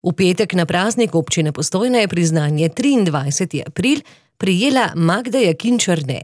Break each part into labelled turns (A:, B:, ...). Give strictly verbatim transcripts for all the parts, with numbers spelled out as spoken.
A: V petek na praznik občine Postojna je priznanje triindvajseti april prejela Magda Jakin Černe,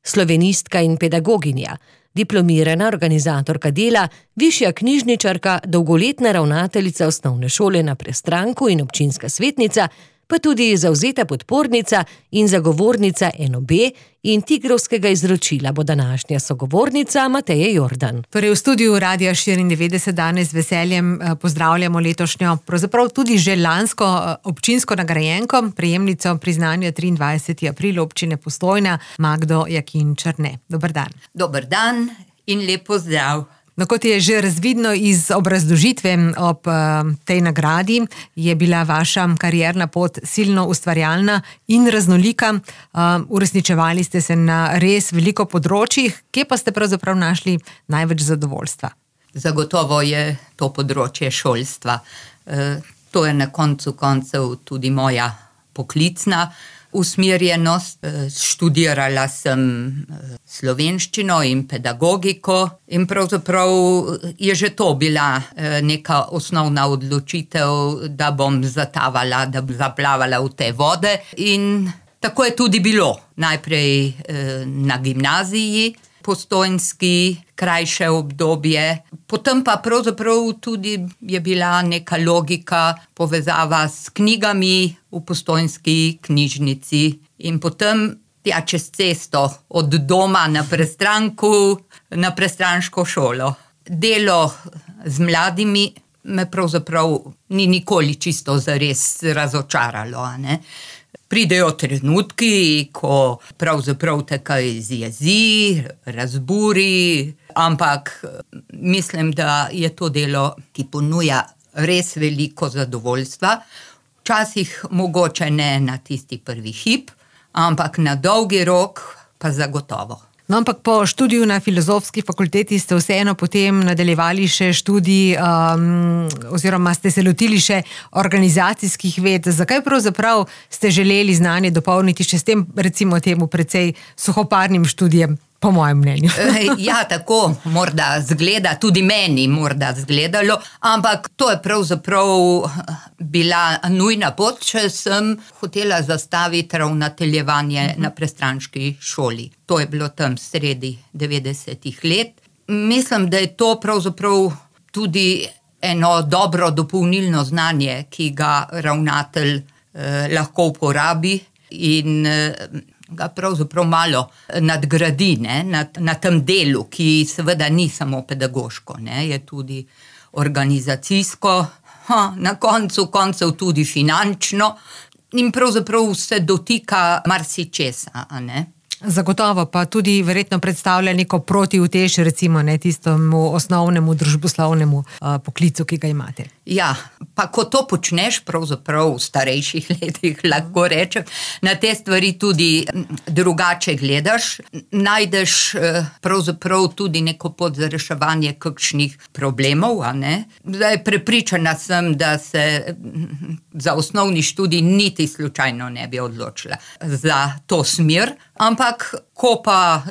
A: slovenistka in pedagoginja, diplomirana organizatorka dela, višja knjižničarka, dolgoletna ravnateljica osnovne šole na Prestranku in občinska svetnica, pa tudi zavzeta podpornica in zagovornica N O B in tigrovskega izročila bo današnja sogovornica Mateja Jordan.
B: Torej v studiu Radia štiriindevetdeset danes z veseljem pozdravljamo letošnjo, pravzaprav tudi že lansko občinsko nagrajenko, prejemnico priznanja triindvajseti april občine Postojna, Magdo Jakin Černe. Dober dan.
C: Dober dan in lep pozdrav.
B: No, kot je že razvidno iz obrazložitve ob uh, tej nagradi, je bila vaša karierna pot silno ustvarjalna in raznolika. Uh, uresničevali ste se na res veliko področjih. Kje pa ste pravzaprav našli največ zadovoljstva?
C: Zagotovo je to področje šolstva. E, to je na koncu koncev tudi moja poklicna usmerjenost. Študirala sem slovenščino in pedagogiko in pravzaprav je že to bila neka osnovna odločitev, da bom zatavala, da bom zaplavala v te vode, in tako je tudi bilo. Najprej na gimnaziji postojnski, krajše obdobje, potem pa pravzaprav tudi je bila neka logika, povezava s knjigami v postojnski knjižnici in potem tja čez cesto od doma na Prestranku na prestranško šolo. Delo z mladimi me pravzaprav ni nikoli čisto zares razočaralo, a ne. Pridejo trenutki, ko pravzaprav te kaj zjezi, razburi, ampak mislim, da je to delo, ki ponuja res veliko zadovoljstva. Včasih mogoče ne na tisti prvi hip, ampak na dolgi rok pa zagotovo.
B: No, ampak po študiju na Filozofski fakulteti ste vseeno potem nadaljevali še študij um, oziroma ste se lotili še organizacijskih ved. Zakaj pravzaprav ste želeli znanje dopolniti še s tem, recimo temu, precej suhoparnim študijem, po mojem mnenju?
C: Ja, tako morda zgleda, tudi meni morda zgledalo, ampak to je pravzaprav bila nujna pot, če sem hotela zastaviti ravnateljevanje uh-huh. na prestranški šoli. To je bilo tam sredi devetdesetih let. Mislim, da je to pravzaprav tudi eno dobro dopolnilno znanje, ki ga ravnatelj eh, lahko uporabi in eh, ga pravzaprav malo nadgradi, ne, na, na tem delu, ki seveda ni samo pedagoško, ne, je tudi organizacijsko, ha, na koncu koncev tudi finančno in pravzaprav se dotika marsičesa, a ne.
B: Zagotovo pa tudi verjetno predstavlja neko protiutež, recimo ne tistemu osnovnemu družboslovnemu uh, poklicu, ki ga imate.
C: Ja, pa ko to počneš pravzaprav v starejših letih, lahko rečem, na te stvari tudi drugače gledaš, najdeš pravzaprav tudi neko pot za reševanje kakšnih problemov, a ne. Zdaj prepričana sem, da se za osnovni študij niti slučajno ne bi odločila za to smer, ampak ko pa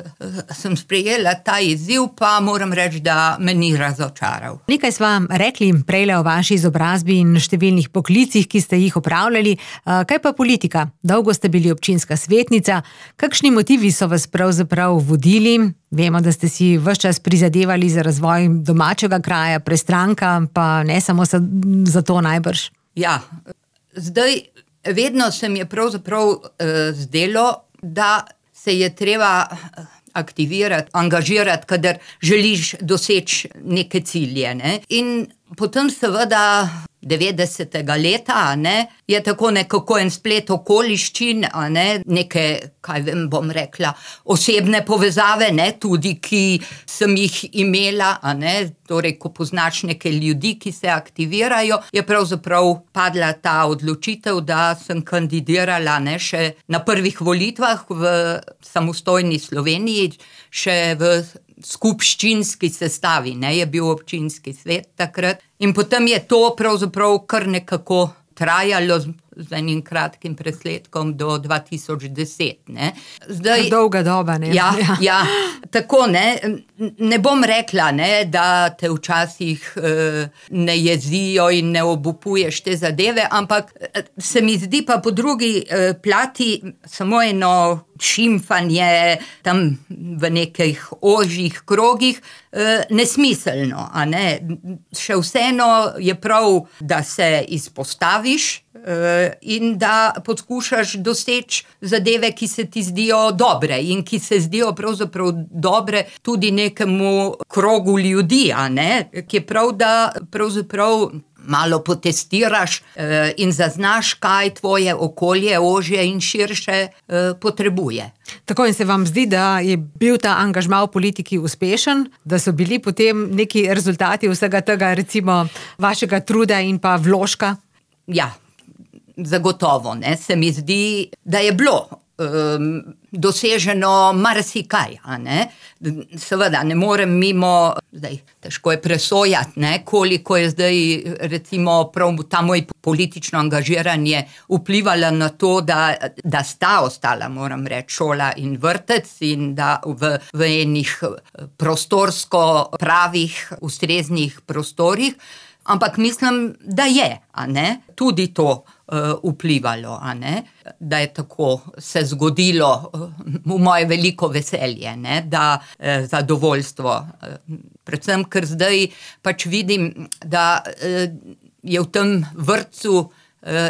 C: sem sprejela ta izziv, pa moram reči, da me ni razočaral.
B: Nekaj sva rekli prejle o vaši izobrazbi in številnih poklicih, ki ste jih opravljali. Kaj pa politika? Dolgo ste bili občinska svetnica. Kakšni motivi so vas pravzaprav vodili? Vemo, da ste si ves čas prizadevali za razvoj domačega kraja, Prestranka, pa ne samo za to najbrž.
C: Ja, zdaj vedno se mi je pravzaprav eh, zdelo, da se je treba aktivirati, angažirati, kadar želiš doseči neke cilje, ne. In potem seveda devetdesetega leta, ne, je tako nekako en splet okoliščin, a ne, neke, kaj vem, bom rekla, osebne povezave, ne, tudi, ki sem jih imela, a ne, torej, ko poznaš neke ljudi, ki se aktivirajo, je pravzaprav padla ta odločitev, da sem kandidirala, ne, še na prvih volitvah v samostojni Sloveniji, še v skupščinski sestavi, ne, je bil občinski svet takrat. In potem je to pravzaprav kar nekako trajalo z enim kratkim presledkom do dva tisoč deset, ne. Zdaj,
B: dolga doba, ne.
C: Ja, ja. ja, tako, ne. Ne bom rekla, ne, da te včasih eh, ne jezijo in ne obupuješ te zadeve, ampak se mi zdi pa po drugi eh, plati samo eno šimfanje tam v nekih ožjih krogih eh, nesmiselno, a ne. Še vseeno je prav, da se izpostaviš eh, in da poskušaš doseči zadeve, ki se ti zdijo dobre in ki se zdijo pravzaprav dobre tudi nekemu krogu ljudi, a ne, ki je prav, da pravzaprav malo potestiraš eh, in zaznaš, kaj tvoje okolje ožje in širše eh, potrebuje.
B: Tako, in se vam zdi, da je bil ta angažma v politiki uspešen, da so bili potem neki rezultati vsega tega, recimo vašega truda in pa vložka?
C: Ja, zagotovo, ne, se mi zdi, da je bilo um, doseženo marsikaj, a ne. Seveda ne morem mimo, zdaj težko je presojati, ne, koliko je zdaj recimo prav ta moj politično angažiranje vplivalo na to, da, da sta ostala, moram reči, šola in vrtec in da v, v enih prostorsko pravih, ustreznih prostorih. Ampak mislim, da je, a ne, tudi to uh, vplivalo, a ne, da je tako se zgodilo uh, v moje veliko veselje, ne, da uh, zadovoljstvo. Uh, predvsem, ker zdaj pač vidim, da uh, je v tem vrtcu uh,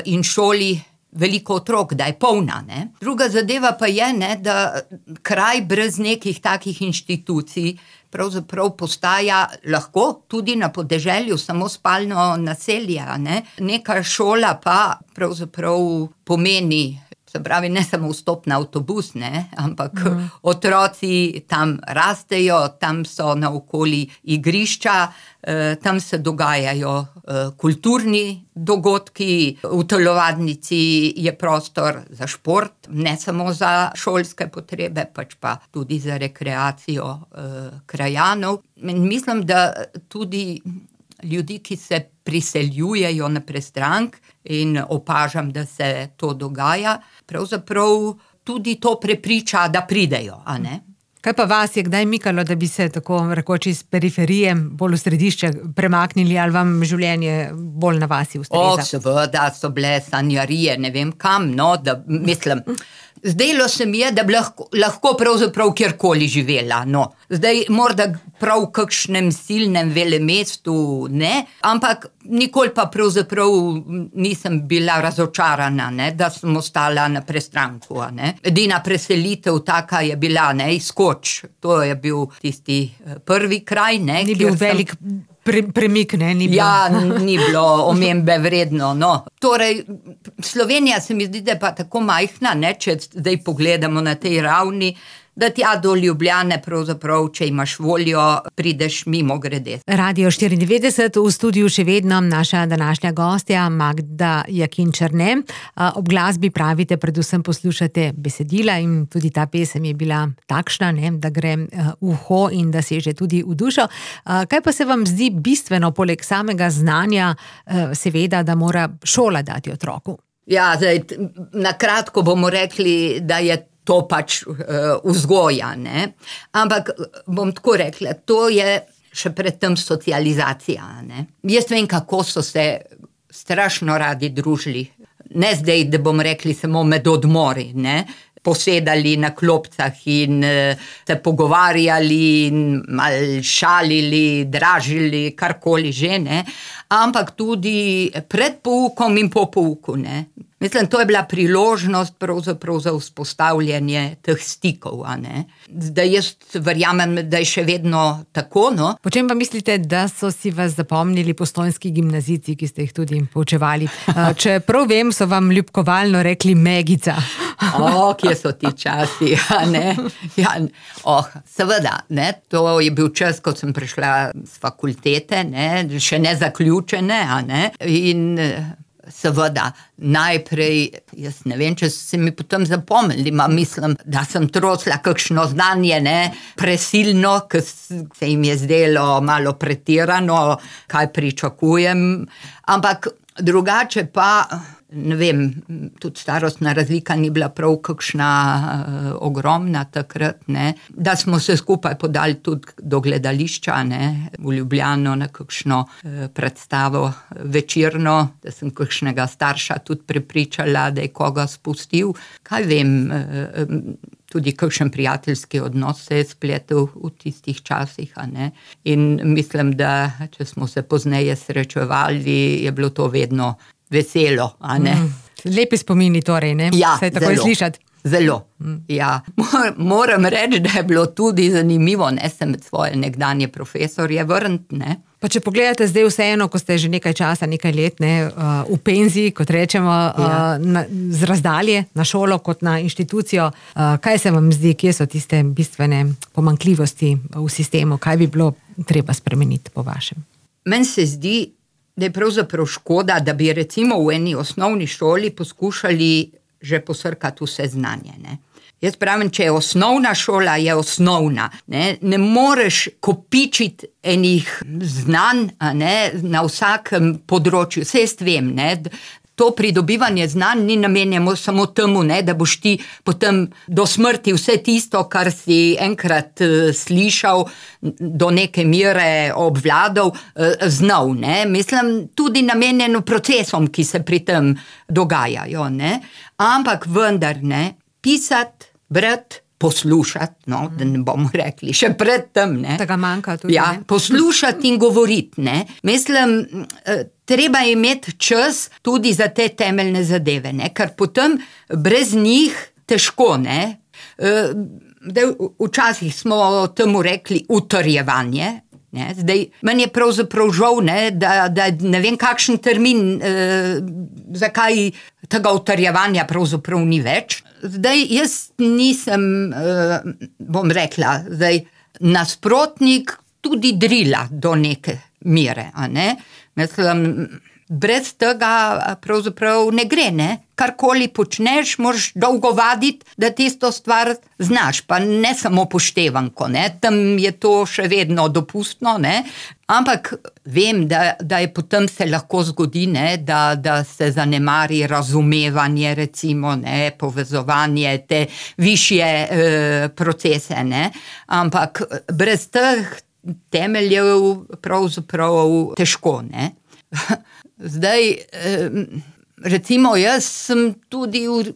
C: in šoli veliko otrok, da je polna, ne. Druga zadeva pa je, ne, da kraj brez nekih takih inštitucij pravzaprav postaja lahko tudi na podeželju samo spalno naselje, ne. Neka šola pa pravzaprav pomeni, se pravi, ne samo vstop na avtobus, ne, ampak mm. otroci tam rastejo, tam so naokoli igrišča, eh, tam se dogajajo eh, kulturni dogodki, v telovadnici je prostor za šport, ne samo za šolske potrebe, pač pa tudi za rekreacijo eh, krajanov. In mislim, da tudi ljudi, ki se priseljujejo na prestrank, in opažam, da se to dogaja, pravzaprav tudi to prepriča, da pridejo, a ne.
B: Kaj pa vas je kdaj mikalo, da bi se tako rekoč iz periferije bolj v središče premaknili, ali vam življenje bolj na vasi ustreza?
C: O, seveda so bile sanjarije, ne vem kam, no, da mislim, zdelo se mi je, da bi lahko, lahko pravzaprav kjerkoli živela, no. Zdaj morda prav v kakšnem silnem velemestu, ne, ampak nikoli pa pravzaprav nisem bila razočarana, ne, da sem ostala na prestranku, a ne. Edina preselitev taka je bila, ne, Izkoč, to je bil tisti prvi kraj, ne.
B: Ni bil velik pre, premik, ne, ni bilo.
C: Ja, ni bilo omembe vredno, no. Torej, Slovenija se mi zdi, da je pa tako majhna, ne, če zdaj pogledamo na tej ravni, da tja do Ljubljane pravzaprav, če imaš voljo, prideš mimo grede.
B: Radio štiriindevetdeset, v studiu še vedno naša današnja gostja Magda Jakin Černe. Ob glasbi pravite, predvsem poslušate besedila in tudi ta pesem je bila takšna, ne, da gre v uho in da seže tudi v dušo. Kaj pa se vam zdi bistveno, poleg samega znanja, seveda, da mora šola dati otroku?
C: Ja, zdaj, na kratko bomo rekli, da je to pač uh, vzgoja, ne. Ampak bom tako rekla, to je še predtem socializacija, ne. Jaz vem, kako so se strašno radi družili. Ne zdaj, da bom rekli samo med odmori, ne. Posedali na klopcah in uh, se pogovarjali in malo šalili, dražili, karkoli že, ne. Ampak tudi pred poukom in po pouku, ne. Mislim, to je bila priložnost pravzaprav za vzpostavljanje teh stikov, a ne. Zdaj jaz verjamem, da je še vedno tako, no.
B: Po čem pa mislite, da so si vas zapomnili postojnski gimnazijci, ki ste jih tudi poučevali? Če prav vem, so vam ljubkovalno rekli Megica.
C: O, kje so ti časi, a ne. Ja, oh, seveda, ne, to je bil čas, ko sem prišla z fakultete, ne, še ne zaključene, a ne, in seveda, najprej, jaz ne vem, če se mi potem zapomnili, ma mislim, da sem trosla kakšno znanje, ne, presilno, ker se jim je zdelo malo pretirano, kaj pričakujem, ampak drugače pa ne vem, tudi starostna razlika ni bila prav kakšna uh, ogromna takrat, ne, da smo se skupaj podali tudi do gledališča, ne, v Ljubljano na kakšno uh, predstavo večerno, da sem kakšnega starša tudi prepričala, da je koga spustil. Kaj vem, uh, tudi kakšen prijateljski odnos se je spletel v tistih časih, a ne. In mislim, da če smo se pozneje srečevali, je bilo to vedno veselo, a ne. Mm,
B: lepi spomini torej, ne?
C: Ja,
B: se je takoj slišati.
C: Zelo, mm. ja. Moram reči, da je bilo tudi zanimivo, ne, se med svoje nekdanje profesorje vrniti, ne.
B: Pa če pogledate zdaj vseeno, ko ste že nekaj časa, nekaj let, ne, v penziji, kot rečemo, ja. na, z razdalje na šolo kot na inštitucijo, kaj se vam zdi, kje so tiste bistvene pomanjkljivosti v sistemu, kaj bi bilo treba spremeniti po vašem?
C: Meni se zdi, da je pravzaprav škoda, da bi recimo v eni osnovni šoli poskušali že posrkati vse znanje, ne. Jaz pravim, če je osnovna šola, je osnovna. Ne, ne moreš kopičiti enih znanj, a ne, na vsakem področju. Vse jaz vem, ne, to pridobivanje znanj ni namenjeno samo temu, ne, da boš ti potem do smrti vse tisto, kar si enkrat uh, slišal, do neke mere obvladal, uh, znal. Ne. Mislim, tudi namenjeno procesom, ki se pri tem dogajajo. Ne. Ampak vendar, ne, pisati, brati, poslušati, no, da ne bomo rekli, še pred tem, ne.
B: Tega manjka tudi,
C: ja,
B: ne.
C: Poslušati in govoriti, ne. Mislim, treba imeti čas tudi za te temeljne zadeve, ne, ker potem brez njih težko, ne. Včasih smo temu rekli utrjevanje, ne, zdaj, meni je pravzaprav žal, ne, da, da ne vem kakšen termin, eh, zakaj tega utrjevanja pravzaprav ni več. Zdaj, jaz nisem, eh, bom rekla, zdaj, nasprotnik tudi drila do neke mere, a ne. Mislim, brez tega pravzaprav ne gre, ne. Karkoli počneš, moraš dolgo vaditi, da tisto stvar znaš, pa ne samo poštevanko, ne. Tam je to še vedno dopustno, ne. Ampak vem, da, da je potem se lahko zgodi, ne, da, da se zanemari razumevanje, recimo, ne, povezovanje, te višje eh, procese, ne. Ampak brez teh temeljev pravzaprav težko, ne. Zdaj, recimo, jaz sem tudi v,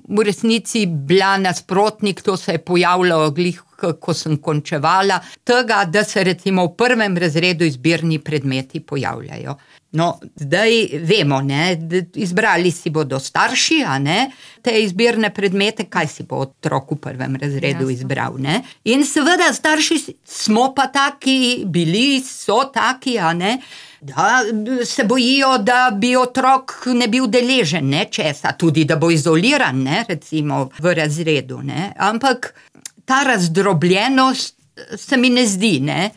C: v resnici bila nasprotnik, to se je pojavilo glih, ko sem končevala, tega, da se recimo v prvem razredu izbirni predmeti pojavljajo. No, zdaj vemo, ne, izbrali si bodo starši, a ne, te izbirne predmete, kaj si bo otrok v prvem razredu Jasno. Izbral, ne. In seveda starši smo pa taki, bili so taki, a ne, da se bojijo, da bi otrok ne bil deležen, ne, česa, tudi da bo izoliran, ne, recimo v razredu, ne, ampak ta razdrobljenost se mi ne zdi, ne,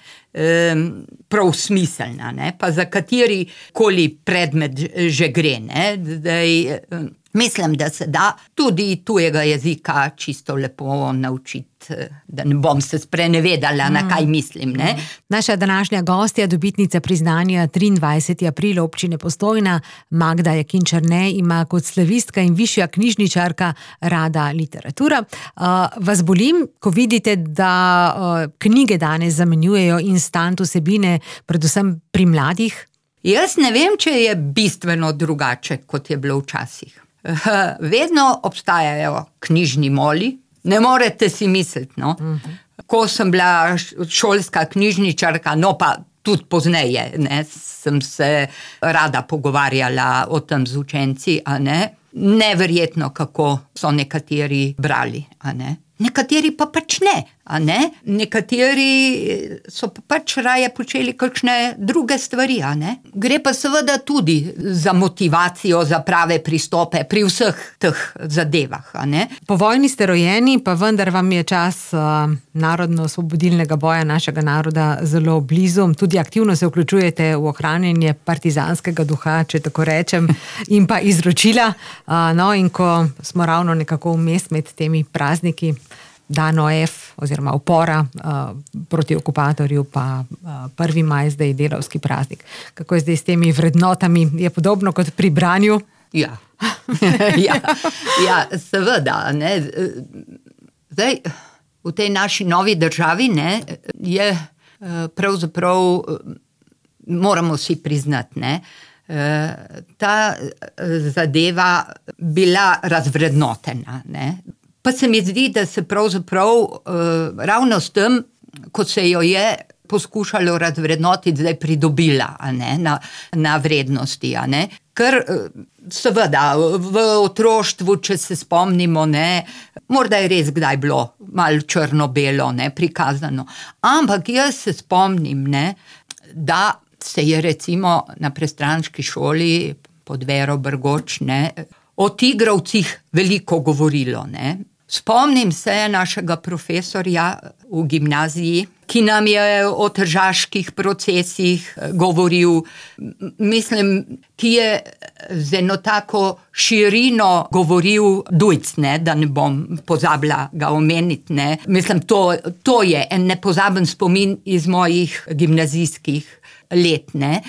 C: prav smiselna, ne, pa za kateri koli predmet že gre, ne, zdaj, mislim, da se da tudi tujega jezika čisto lepo naučiti, da ne bom se sprenevedala, mm. na kaj mislim, ne.
B: Naša današnja gostja, dobitnica priznanja triindvajseti april občine Postojna, Magda Jakin Černe, ima kot slavistka in višja knjižničarka rada literatura. Uh, vas bolim, ko vidite, da uh, knjige danes zamenjujejo instant vsebine, predvsem pri mladih?
C: Jaz ne vem, če je bistveno drugače, kot je bilo včasih. Vedno obstajajo knjižni moli, ne morete si misliti, no. Uh-huh. Ko sem bila šolska knjižničarka, no pa tudi pozneje, ne, sem se rada pogovarjala o tem z učenci, a ne. Neverjetno, kako so nekateri brali, a ne. Nekateri pa pač ne, a ne. Nekateri so pa pač raje počeli kakšne druge stvari, a ne. Gre pa seveda tudi za motivacijo, za prave pristope pri vseh teh zadevah, a ne.
B: Po vojni ste rojeni, pa vendar vam je čas uh, narodno-osvobodilnega boja našega naroda zelo blizu. Tudi aktivno se vključujete v ohranjanje partizanskega duha, če tako rečem, in pa izročila. Uh, no, in ko smo ravno nekako vmes med temi prazniki, dan O F oziroma upora uh, proti okupatorju, pa uh, prvi maj, zdaj delavski praznik. Kako je zdaj s temi vrednotami? Je podobno kot pri branju?
C: Ja, ja, ja seveda. Ne. Zdaj, v tej naši novi državi ne, je pravzaprav, moramo si priznati, ne, ta zadeva bila razvrednotena. Ne. Pa se mi zdi, da se pravzaprav ravno s tem, ko se jo je poskušalo razvrednotiti, zdaj pridobila, a ne, na, na vrednosti. A ne. Ker seveda v otroštvu, če se spomnimo, ne, morda je res kdaj bilo malo črno-belo, ne, prikazano. Ampak jaz se spomnim, ne, da se je recimo na prestranški šoli pod Vero Brgoč, ne, o tigrovcih veliko govorilo, ne. Spomnim se našega profesorja v gimnaziji, ki nam je o tržaških procesih govoril. Mislim, ki je z eno tako širino govoril Dujc, ne, da ne bom pozabila ga omeniti. Ne. Mislim, to, to je en nepozaben spomin iz mojih gimnazijskih let. Ne.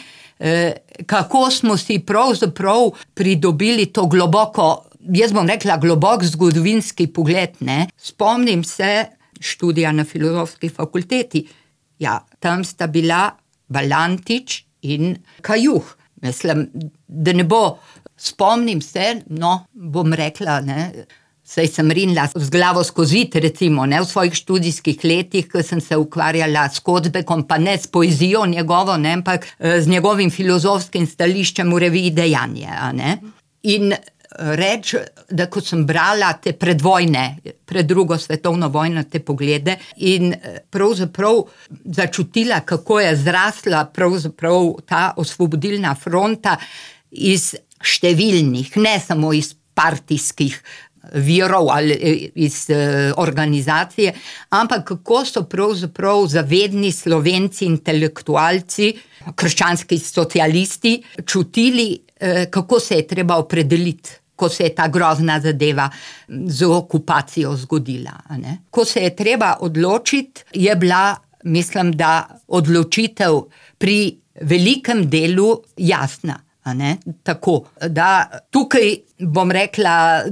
C: Kako smo si pravzaprav pridobili to globoko, jaz bom rekla globok zgodovinski pogled. Ne. Spomnim se študija na Filozofski fakulteti. Ja, tam sta bila Valantič in Kajuh. Mislim, da ne bo, spomnim se, no, bom rekla, ne, saj sem rinila z glavo skozi, recimo, ne, v svojih študijskih letih, ko sem se ukvarjala s Kocbekom, pa ne s poezijo njegovo, ne, ampak z njegovim filozofskim stališčem v reviji Dejanje, a ne. In reč, da ko sem brala te predvojne, pred drugo svetovno vojno, te poglede in pravzaprav začutila, kako je zrasla pravzaprav ta osvobodilna fronta iz številnih, ne samo iz partijskih virov ali iz organizacije, ampak kako so pravzaprav zavedni Slovenci, intelektualci, krščanski socialisti čutili, kako se je treba opredeliti, ko se je ta grozna zadeva z okupacijo zgodila. Ne? Ko se je treba odločiti, je bila, mislim, da odločitev pri velikem delu jasna. A ne? Tako, da tukaj bom rekla,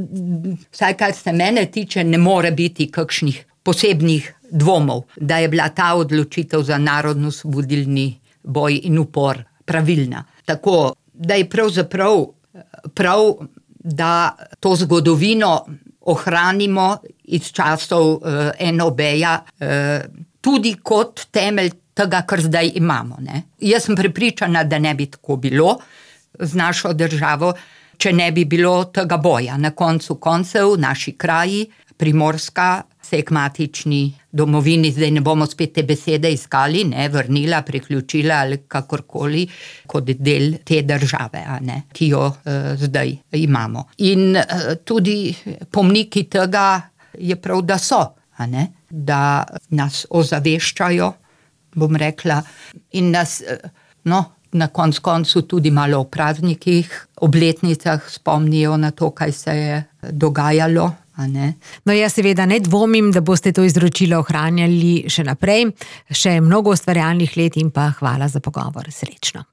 C: vsaj kar se mene tiče, ne more biti kakšnih posebnih dvomov, da je bila ta odločitev za narodno-osvobodilni boj in upor pravilna. Tako, da je pravzaprav prav, da to zgodovino ohranimo iz časov uh, en o beja uh, tudi kot temelj tega, kar zdaj imamo. Ne? Jaz sem prepričana, da ne bi tako bilo z našo državo, če ne bi bilo tega boja. Na koncu koncev naši kraji, Primorska, se je k matični domovini, zdaj ne bomo spet te besede iskali, ne, vrnila, priključila ali kakorkoli, kot del te države, a ne, ki jo uh, zdaj imamo. In uh, tudi pomniki tega je prav, da so, a ne, da nas ozaveščajo, bom rekla, in nas, uh, no, na koncu koncu tudi malo o praznikih, obletnicah spomnijo na to, kaj se je dogajalo.
B: No, jaz seveda ne dvomim, da boste to izročilo ohranjali še naprej, še mnogo ustvarjalnih let in pa hvala za pogovor. Srečno.